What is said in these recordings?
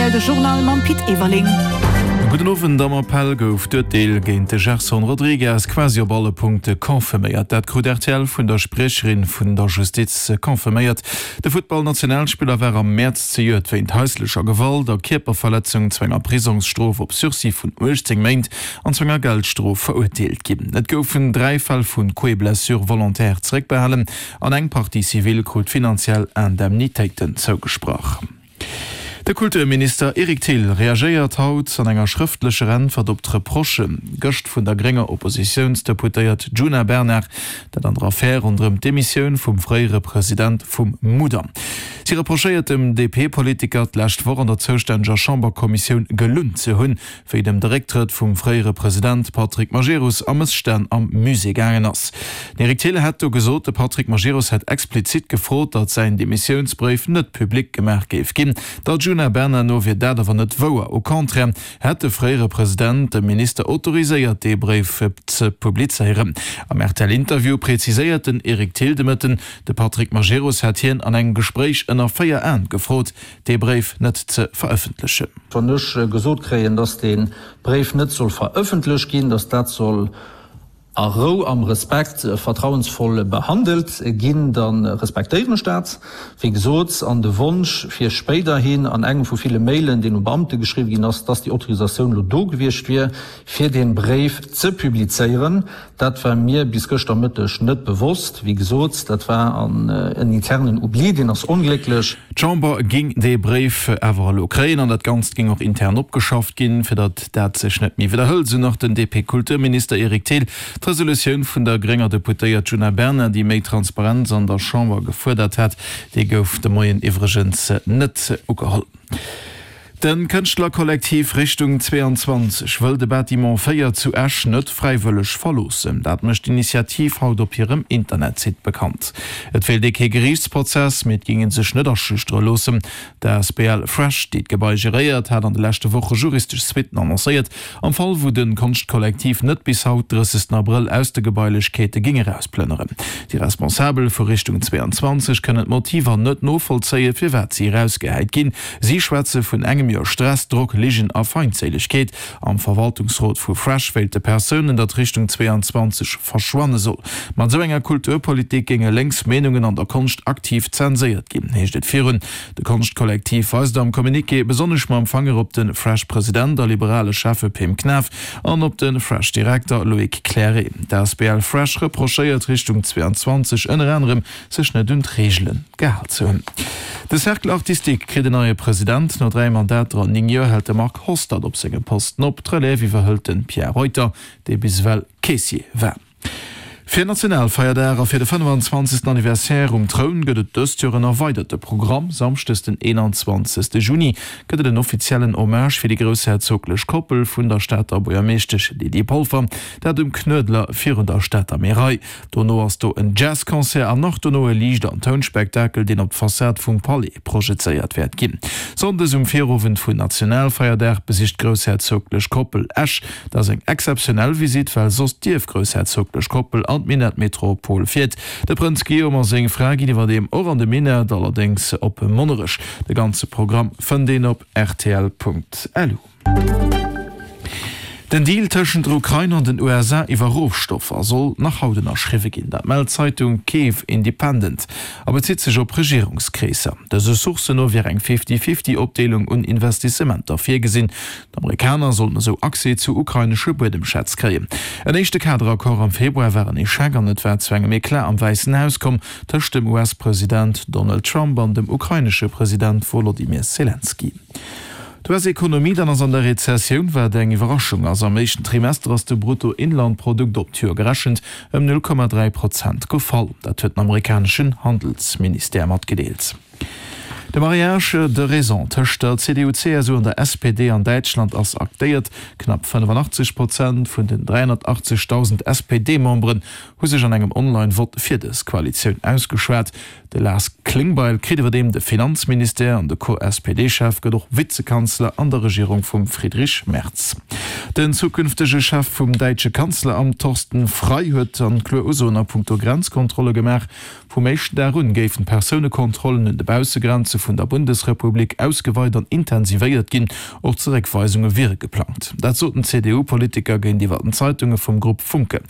rtl de Journal mam Pit Everling. Gudden Owend. Am Appell gouf d'Urteel géint de Gerson Rodrigues quasi op alle Punkte confirméiert. Dat krut rtl vun der Spriecherin vun der Justiz confirméiert. De Futtballnationalspiller war am Mäerz zejoert wéint haislecher Gewalt a Kierperverletzung zu enger Prisongsstrof op Sursis vun 18 Méint an zu enger Geldstrof verurteelt ginn. Et goufen 3 Fäll vu Coups-et-blessures volontaires zeréckbehalen. An eng Partie civile krut finanziell Indemnitéiten zougesprach. De Kulturminister Eric Thill reagéiert haut an enger schrëftlecher Äntwert op d'Reprochë gëscht vun der grénger Oppositiounsdeputéiert Djuna Bernard, dat an der Affär ronderëm d'Demissioun vum fréiere President vum Mudam. Si reprochéiert dem DP-Politiker, d'lescht Woch an der zoustänneger Chamberkommissioun gelunn ze hunn, wéi et ëm de Récktrëtt vum fréiere President Patrick Majerus a Mësstänn am Musée gaangen ass. Den Eric Thill hätt do gesot, de Patrick Majerus hätt explizit gefrot, datt säin Demissiounsbréif net public gemaach géif ginn. Der Djuna Bernard no wier dat awer net wouer. Au contraire hätt de fréiere President dem Minister autoriséiert, dee Bréif ze publizéieren. Am RTL-Interview preziséiert den Eric Thill de Mëtten, de Patrick Majerus hätt hien an engem Gespréich ënner 4 Aen gefrot, dee Bréif net ze verëffentlechen. Wann ech gesot kréien, dass dee Bréif net soll verëffentlecht ginn, dass dat soll a Rou, am Respekt, vertrauensvoll behandelt ginn, da respektéieren ech dat. Wéi gesot, an de Wonsch fir spéiderhin an engem vu ville Mailen, deen u Beamte geschriwwen ginn ass, dass déi Autorisatioun elo do gewiescht wier, fir dee Bréif ze publizéieren, Dat war mir bis gëschter Mëtteg net bewosst. Wéi gesot, dat war en internen Oubli, deen ass onglécklech. D'Chamber géing dee Bréif awer elo kréien an dat Ganzt géing och intern opgeschafft ginn, fir datt dat sech net méi widderhëlt, esou nach den DP-Kulturminister Eric Thill. D'Resolutioun vun der grénger Deputéiert Djuna Bernard, déi méi Transparenz an der Chamber gefuerdert hat, déi gouf de Moien iwwregens net ugeholl. De Kënschtlerkollektiv Richtung 22 wëll de Bâtiment 4 zu Esch net fräiwëlleg verloossen. Dat mécht d'Initiativ haut op hirem Internetsite bekannt. Et wéilt ee kee Geriichtsprozess, mee et géing ee sech net aschüchtere loossen. D'asbl Fresh, déi d'Gebai geréiert, hat an de leschte Woche juristesch Suitten annoncéiert, am Fall wou de Konschtkollektiv net bis haut, 30 Abrëll, aus de Gebailechkeete géing erausplënneren. Déi Responsabel vu Richtung 22 kënnen d'Motiver net novollzéien, firwat si erausgehäit ginn. Si schwätze vun engem Joer Stress, Drock, Ligen a Feindséilegkeet. Am Verwaltungsrot vu Fresh wéilte Persounen, datt Richtung 22 verschwanne soll. Mat esou enger Kulturpolitik géinge lénks Meenungen an der Konscht aktiv zenséiert ginn, heescht et virun. De Konschtkollektiv weist am Communiqué besonnesch mam Fanger op de Fresh-President a liberale Schäffe Pim Knaff an op de Fresh-Direkter Loïc Clairet. D'asbl Fresh reprochéiert Richtung 22 ënner anerem sech net un d'Reegele gehal ze hunn. De Cercle Artistique kritt en neie President. No 3 Mandater an 9 Joer hält de Marc Hostert op sengem Posten op. D'Relève iwwerhëlt de Pierre Reuter, dee bis ewell Caissier war. Fir Nationalfeierdag a fir de 25. Anniversaire um Troun gëtt et dëst Joer en erweiderte Programm. Samschdes den 21. Juni gëtt et en offiziellen Hommage fir déi groussherzoglech Koppel vun der Stater Buergermeeschtesch Lydie Polfer, dat um Knuedler virun der Stater Märei. Dono ass do en Jazzconcert an nach dono e Liicht an Tounspektakel, deen op d'Fassad vum Palais projezéiert wäert ginn. Sonndes um Virowend vun Nationalfeierdag besicht d'groussherzoglech Koppel Esch. Dat ass eng exzeptionell Visitt, well soss d'ierfgroussherzoglech Koppel an d'Minettmetropol fiert. De Prënz Guillaume a seng Fra ginn iwwerdeem och an de Minett, allerdéngs op Monnerech. De ganze Programm fënnt een op rtl.lu. Den Deal tëschent der Ukrain an den USA iwwer Rohstoffer soll nach haut ënnerschriwwe ginn. Dat mellt d'Zeitung Kyiv Independent a bezitt sech op Regierungskreesser. Dëse Sourcen no wier eng Fifty-Fifty-Opdeelung un Investissementer virgesinn. D'Amerikaner sollten esou Accès zu ukrainesche Buedemschätz kréien. En éischte Kaderaccord am Februar war en Echec an et war zu engem Eclat am Wäissen Haus komm tëscht dem US-President Donald Trump an dem ukrainesche President Wolodymyr Selenskyj. D'US-Ekonomie dann ass an der Rezessioun, wat eng Iwwerraschung ass. Am éischten Trimester ass de Bruttoinlandprodukt op d'Joer gerechent ëm 0,3 Prozent gefall. Dat huet den amerikaneschen Handelsministère matgedeelt. De Mariage de raison tëscht der CDU-CSU an der SPD an Däitschland ass aktéiert. Knapp 85 Prozent vun den 380.000 SPD-Memberen hu sech an engem Online-Vott fir dës Koalitioun ausgeschwat. De Lars Klingbeil kritt iwwerdeem de Finanzministère an de Co-SPD-Chef gëtt och Vizekanzler an der Regierung vum Friedrich Merz. Den zukünftege Chef vum däitsche Kanzleramt Thorsten Frei huet an kloer Usoen a punkto Grenzkontrolle gemaach. Vum éischten Dag un géifen d'Persounekontrollen un de Baussegrenze vun der Bundesrepublik ausgeweit an intensivéiert ginn. Och Zeréckweisunge wiere geplangt. Dat sot den CDU-Politiker géintiwwer den Zeitunge vum Grupp Funke.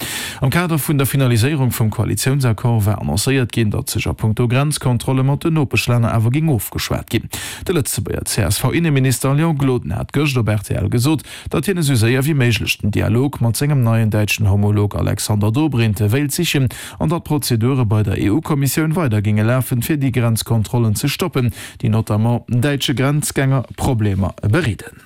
Am Kader vun der Finaliséierung vum Koalitiounsaccord war annoncéiert ginn, datt sech a punkto Grenzkontrolle mat den Nopeschlänner awer géing ofgeschwat ginn. De Lëtzebuerger CSV-Inneminister Léon Gloden hat gëscht op rtl gesot, datt hien esou séier wéi méiglech den Dialog mat sengem neien däitschen Homolog Alexander Dobrindt wéilt sichen an datt d'Prozedure bei der EU-Kommissioun weider géinge lafen, fir déi Grenzkontrollen ze stoppen, déi notamment däitsche Grenzgänger Problemer bereeden.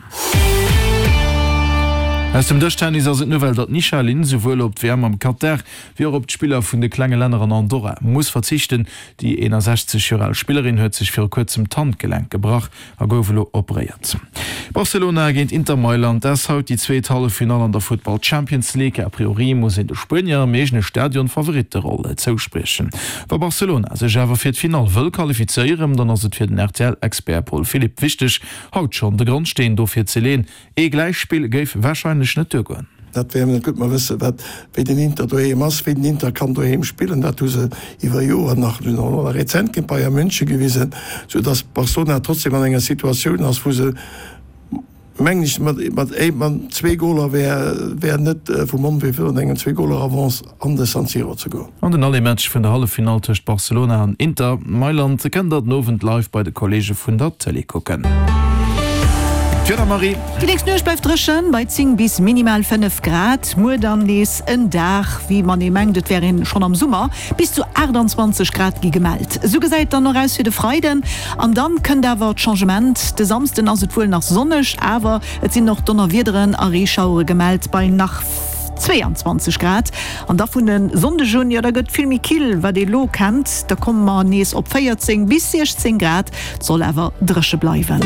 Aus dem Dëschtennis ass et d'Nouvelle, datt d'Nisha Lin souwuel op d'WM am Katar wéi och op d'Spiller vun de klenge Länner an Andorra muss verzichten. Déi 61 Joer al Spillerin huet sech viru kuerzem d'Handgelenk gebrach a gouf elo operéiert. Barcelona géint Inter Mailand ass haut déi zweet Halleffinall an der Futtball Champions League. A priori muss een de Spuenier am eegene Stadion d'Favoritteroll zouspriechen. Wa Barcelona sech awer fir d'Finall wëll qualifizéieren, dann ass et fir den RTL-Expert Paul Philipp wichteg, haut schonn de Grondsteen dofir ze leeën. Ee Gläichspill géif warscheinlech net duergoen. Dat wär net gutt. Mer wësse wat, wéi den Inter doheem ass, wéi den Inter kann doheem spillen. Dat hu se iwwer Joren nach, elo nach rezent géint Bayern München gewisen, soudass Barcelona trotzdem an enger Situatioun ass, wou se, mengen ech, mat, mat, mat zwee Goler wär, wär net vum Onwee virun engem Zwee-Goler-Avance an de San Siro ze goen. An den Aller-Match vun der Halleffinall tëscht Barcelona an Inter Mailand kënnt der den Owend live bei de Kolleege vun der Tëlee kucken. D'Wieder, Marie. Déi nächst Nuecht bleift dréchen, bei 10 bis minimal 5 Grad. Muer dann nees en Dag, wéi wann ee mengt, et wär een schonn am Summer. Bis zu 28 Grad gi gemellt. Esou gesäit et dann och aus fir de Freiden. An dann kënnt awer d'Changement. De Samsden ass et wuel nach sonneg, awer et sinn och Donnerwiederen a Reeschauere gemellt bei nach 22 Grad. An da vun e Sonndeg un, jo da gëtt vill méi kill, wat ee lo kennt. Da komme mer nees op 14 bis 16 Grad, et soll awer dréche bleiwen.